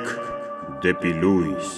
Շարք դեպի լույս։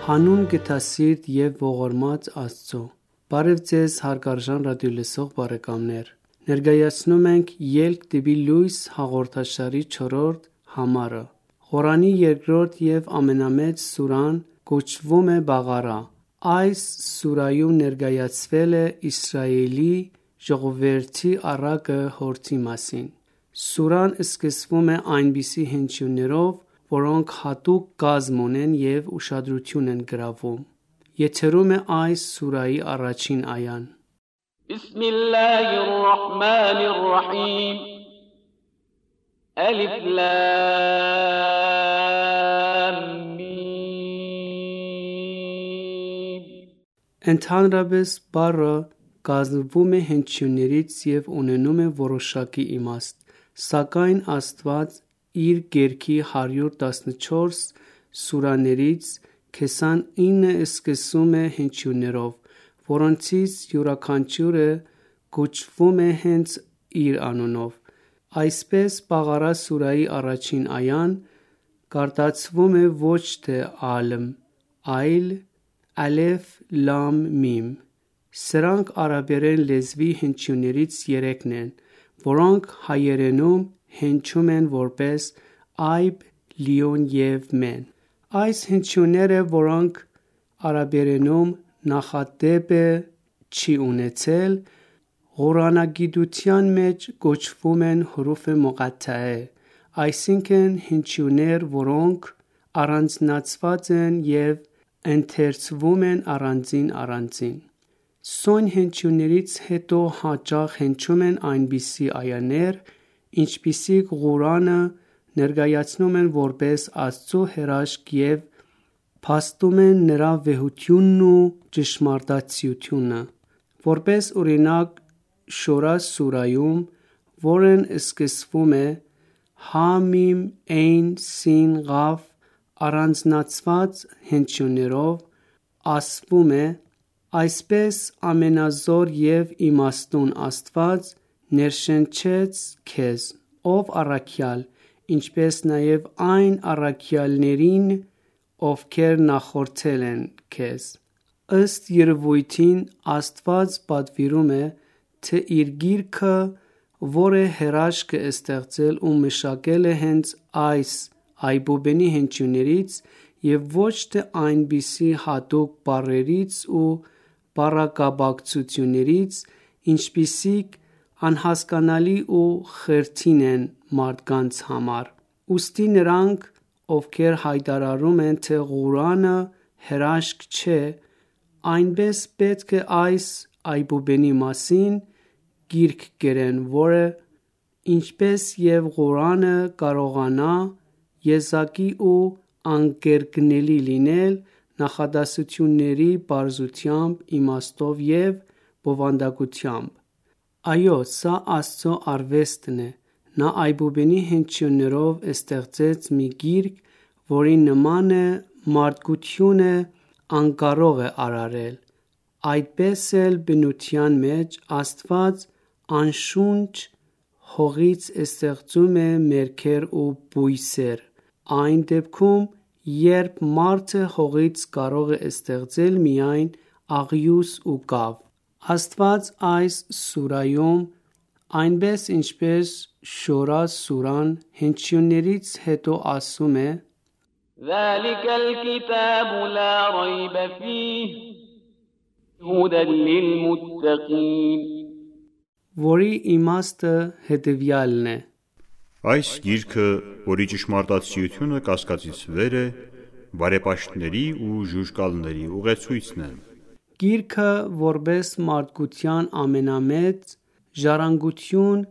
Հանուն գթասիրտ և ողորմած Աստծո։ Բարև ձեզ հարգարժան ռադիոլսող բարեկամներ։ Ներկայացնում ենք «Ելք դեպի լույս» հաղորդաշարի 4-րդ համարը։ Ղուրանի երկրորդ և ամենամեծ սուրան կոչվում է Բաղարա։ Այս սուրայում ներկայացվել է Իսրայելի ժողովրդի առակը հորդի մասին։ Սուրան սկսվում է այնպիսի հնչյուններով, որոնք հատուկ կազմ ունեն և ուշադրություն են գրավում։ Եթերում է այս սուրայի առաջին այան։ Բիսմիլլահիր ռահմանիր ռահիմ Ալիֆ լամ միմ Ընդհանրապես բառը կազմվում է հնչյուններից և ունենում է որոշակի իմաստ, սակայն Աստված իր գրքի 114 սուրաներից 29-ը սկսում է հնչյուններով, որոնցից յուրաքանչյուրը կոչվում է հենց իր անունով։ Այսպես Բաղարա սուրայի առաջին այան կարդացվում է ոչ թե ալմ, այլ ալեֆ լամ միմ։ Սրանք արաբերեն լեզվի հնչյուններից երեքն են, որոնք հայերենում հնչում են որպես այբ, լիոն և մեն։ Այս հնչյունները, որոնք արաբերենում նախադեպ չի ունեցել, ղուրանագիտության մեջ կոչվում են հուրուֆ մուղաթթահե, այսինքն հնչյուններ, որոնք առանձնացված են և ընթերցվում են առանձին։ Սույն հնչյուններից հետո հաճախ հնչում են այնպիսի այաներ, ինչպիսիք Ղուրանը ներկայացնում են որպես Աստծո հրաշք և փաստում են նրա վեհությունն ու ճշմարտացիությունը։ Որպես օրինակ, Շորա սուրայում, որն սկսվում է հա-միմ, էյն, սին, ղաֆ առանձնացված հնչյուններով, ասվում է. «Այսպես ամենազոր և իմաստուն Աստված ներշնչեց քեզ, ով առաքյալ, ինչպես նաև այն առաքյալներին, ովքեր նախորդել են քեզ»։ Ըստ երևույթին, Աստված պատվիրում է, թե իր գիրքը, որը հրաշք է ստեղծել ու մշակել է հենց այս այբուբենի հնչյուններից և ոչ թե այնպիսի հատուկ բառերից ու բառակապակցություններից, ինչպիսիք անհասկանալի ու խրթին են մարդկանց համար։ Ուստի նրանք, ովքեր հայտարարում են, թե Ղուրանը հրաշք չէ, նույնպես պետք է այս այբուբենի մասին գիրք գրեն, որը, ինչպես և Ղուրանը, կարողանա եզակի ու անկրկնելի լինել նախադասությունների պարզությամբ, իմաստով և բովանդակությամբ։ Այո, սա Աստծո արվեստն է։ Նա այբուբենի հնչյուններով ստեղծեց մի գիրք, որի նմանը մարդկությունը անկարող է արարել։ Այդպես էլ բնության մեջ Աստված անշունչ հողից ստեղծում է մերքեր ու բույսեր, այն դեպքում, երբ մարդը հողից կարող է ստեղծել միայն աղյուս ու կավ։ Աստված այս սուրայում, այնպես ինչպես Շորա սուրան, հնչյուններից հետո ասում է. ذَلِكَ الْكِتَابُ لَا رَيْبَ فِيهِ هُدًى لِّلْمُتَّقِينَ որի իմաստը հետևյալն է. Այս գիրքը, որի ճշմարտացիությունը կասկածից վեր է, բարեպաշտների ու ժուժկալների ուղեցույցն է։ Գիրքը, որպես մարդկության ամենամեծ ժառանգություն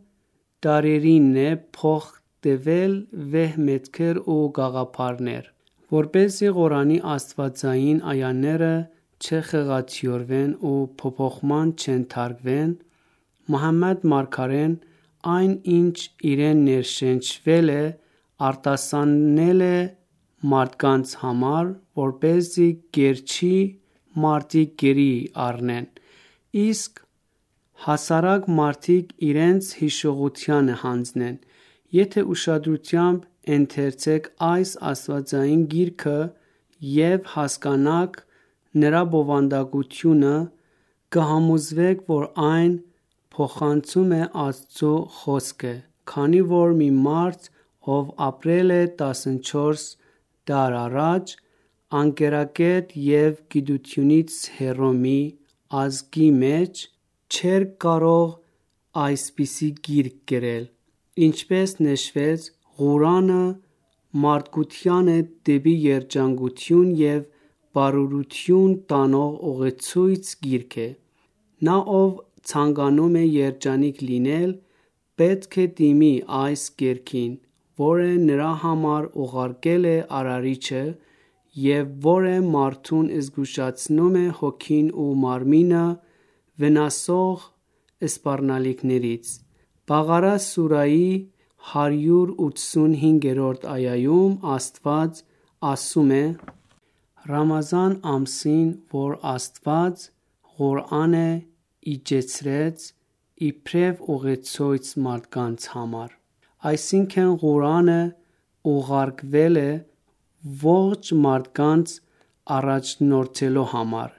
դարերինն է փոխտվել վեհ մետքեր ու գաղափարներ։ Որպեսզի Ղուրանի աստվածային այաները չխեղաթյուրվեն ու փոփոխման չենթարկվեն, Մուհամմադ մարգարեն այն, ինչ իրեն ներշնչվել է, արտասանել է մարդկանց համար, որպեսզի կերչի մարդիկ գերի առնեն, իսկ հասարակ մարդիկ իրենց հիշողությանը հանձնեն։ Եթե ուշադրությամբ ընթերցեք այս աստվածային գիրքը և հասկանաք նրա բովանդակությունը, կհամոզվեք, որ այն փոխանցում է Աստծո խոսքը, քանի որ մի մարդ, ով ապրել է 14 դար առաջ, անկերակետ և գիտությունից հեռու մի ազգի մեջ, չէր կարող այսպիսի գիրք գրել։ Ինչպես նշվեց, Ղուրանը մարդկությանը դեպի երջանկություն և բարօրություն տանող ուղեցույց գիրք է։ Նա, ով ցանկանում է երջանիկ լինել, պետք է դիմի այս գիրքին, որը նրա համար ուղարկել է Արարիչը և որը մարդուն զգուշացնում է հոգին ու մարմինը վնասող սպառնալիքներից։ Բաղարա սուրահի 185-րդ այայում Աստված ասում է. Ռամազան ամսին, որ Աստված Ղուրանը իջեցրեց իբրև ուղեցույց մարդկանց համար, այսինքն Ղուրանը ուղարկվել է ողջ մարդկանց առաջնորդելու համար։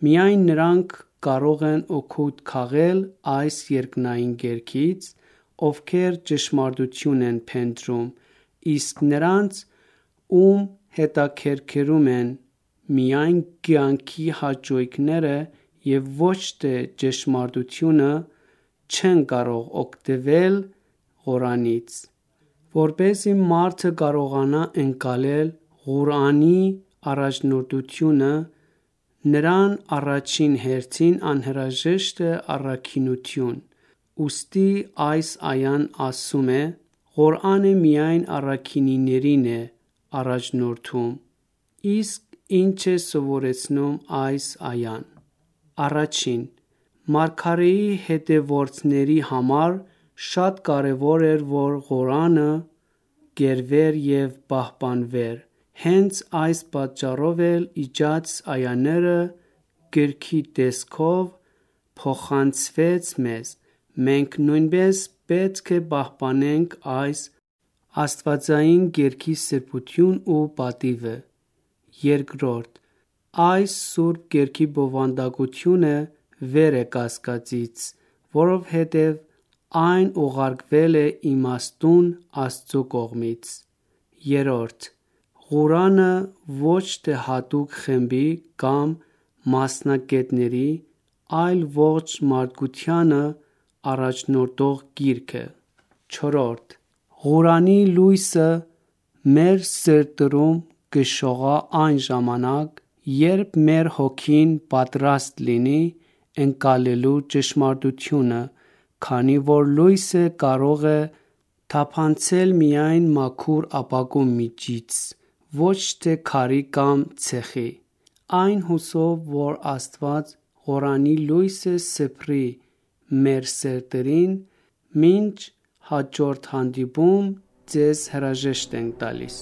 Միայն նրանք կարող են օգուտ քաղել այս երկնային գիրքից, ովքեր ճշմարտություն են փնտրում, իսկ նրանց, ում հետաքրքրում են միայն կյանքի հաճույքները և ոչ թե ճշմարտությունը, չեն կարող օգտվել Ղուրանից։ Որպեսզի մարդը կարողանա ընկալել Ղուրանի առաջնորդությունը, նրան առաջին հերթին անհրաժեշտ է առաքինություն։ Ուստի այս այան ասում է. Ղուրանը միայն առաքինիներին է առաջնորդում։ Իսկ ինչ է սովորեցնում այս այան։ Առաջին, մարգարեի հետևորդների համար շատ կարևոր էր, որ Ղուրանը գրվեր և պահպանվեր։ Հենց այս պատճառով էլ իջած այաները գրքի տեսքով փոխանցվեց մեզ։ Մենք նույնպես պետք է պահպանենք այս աստվածային գրքի սրբությունն ու պատիվը։ Երկրորդ, այս սուրբ գրքի բովանդակությունը վեր է կասկածից, որովհետև այն ուղարկվել է իմաստուն Աստծո կողմից։ Երրորդ, Ղուրանը ոչ թե հատուկ խմբի կամ մասնագետների, այլ ողջ մարդկությանը առաջնորդող գիրք է։ Չորրորդ, Ղուրանի լույսը մեր սրտերում կշողա այն ժամանակ, երբ մեր հոգին պատրաստ լինի ընկալելու ճշմարտությունը, քանի որ լույսը կարող է թափանցել միայն մաքուր ապակու միջից, ոչ թե քարի կամ ցեխի։ Այն հուսով, որ Աստված Ղուրանի լույսը սփռի մեր սրտերին, մինչ հաջորդ հանդիպում ձեզ հրաժեշտ ենք տալիս։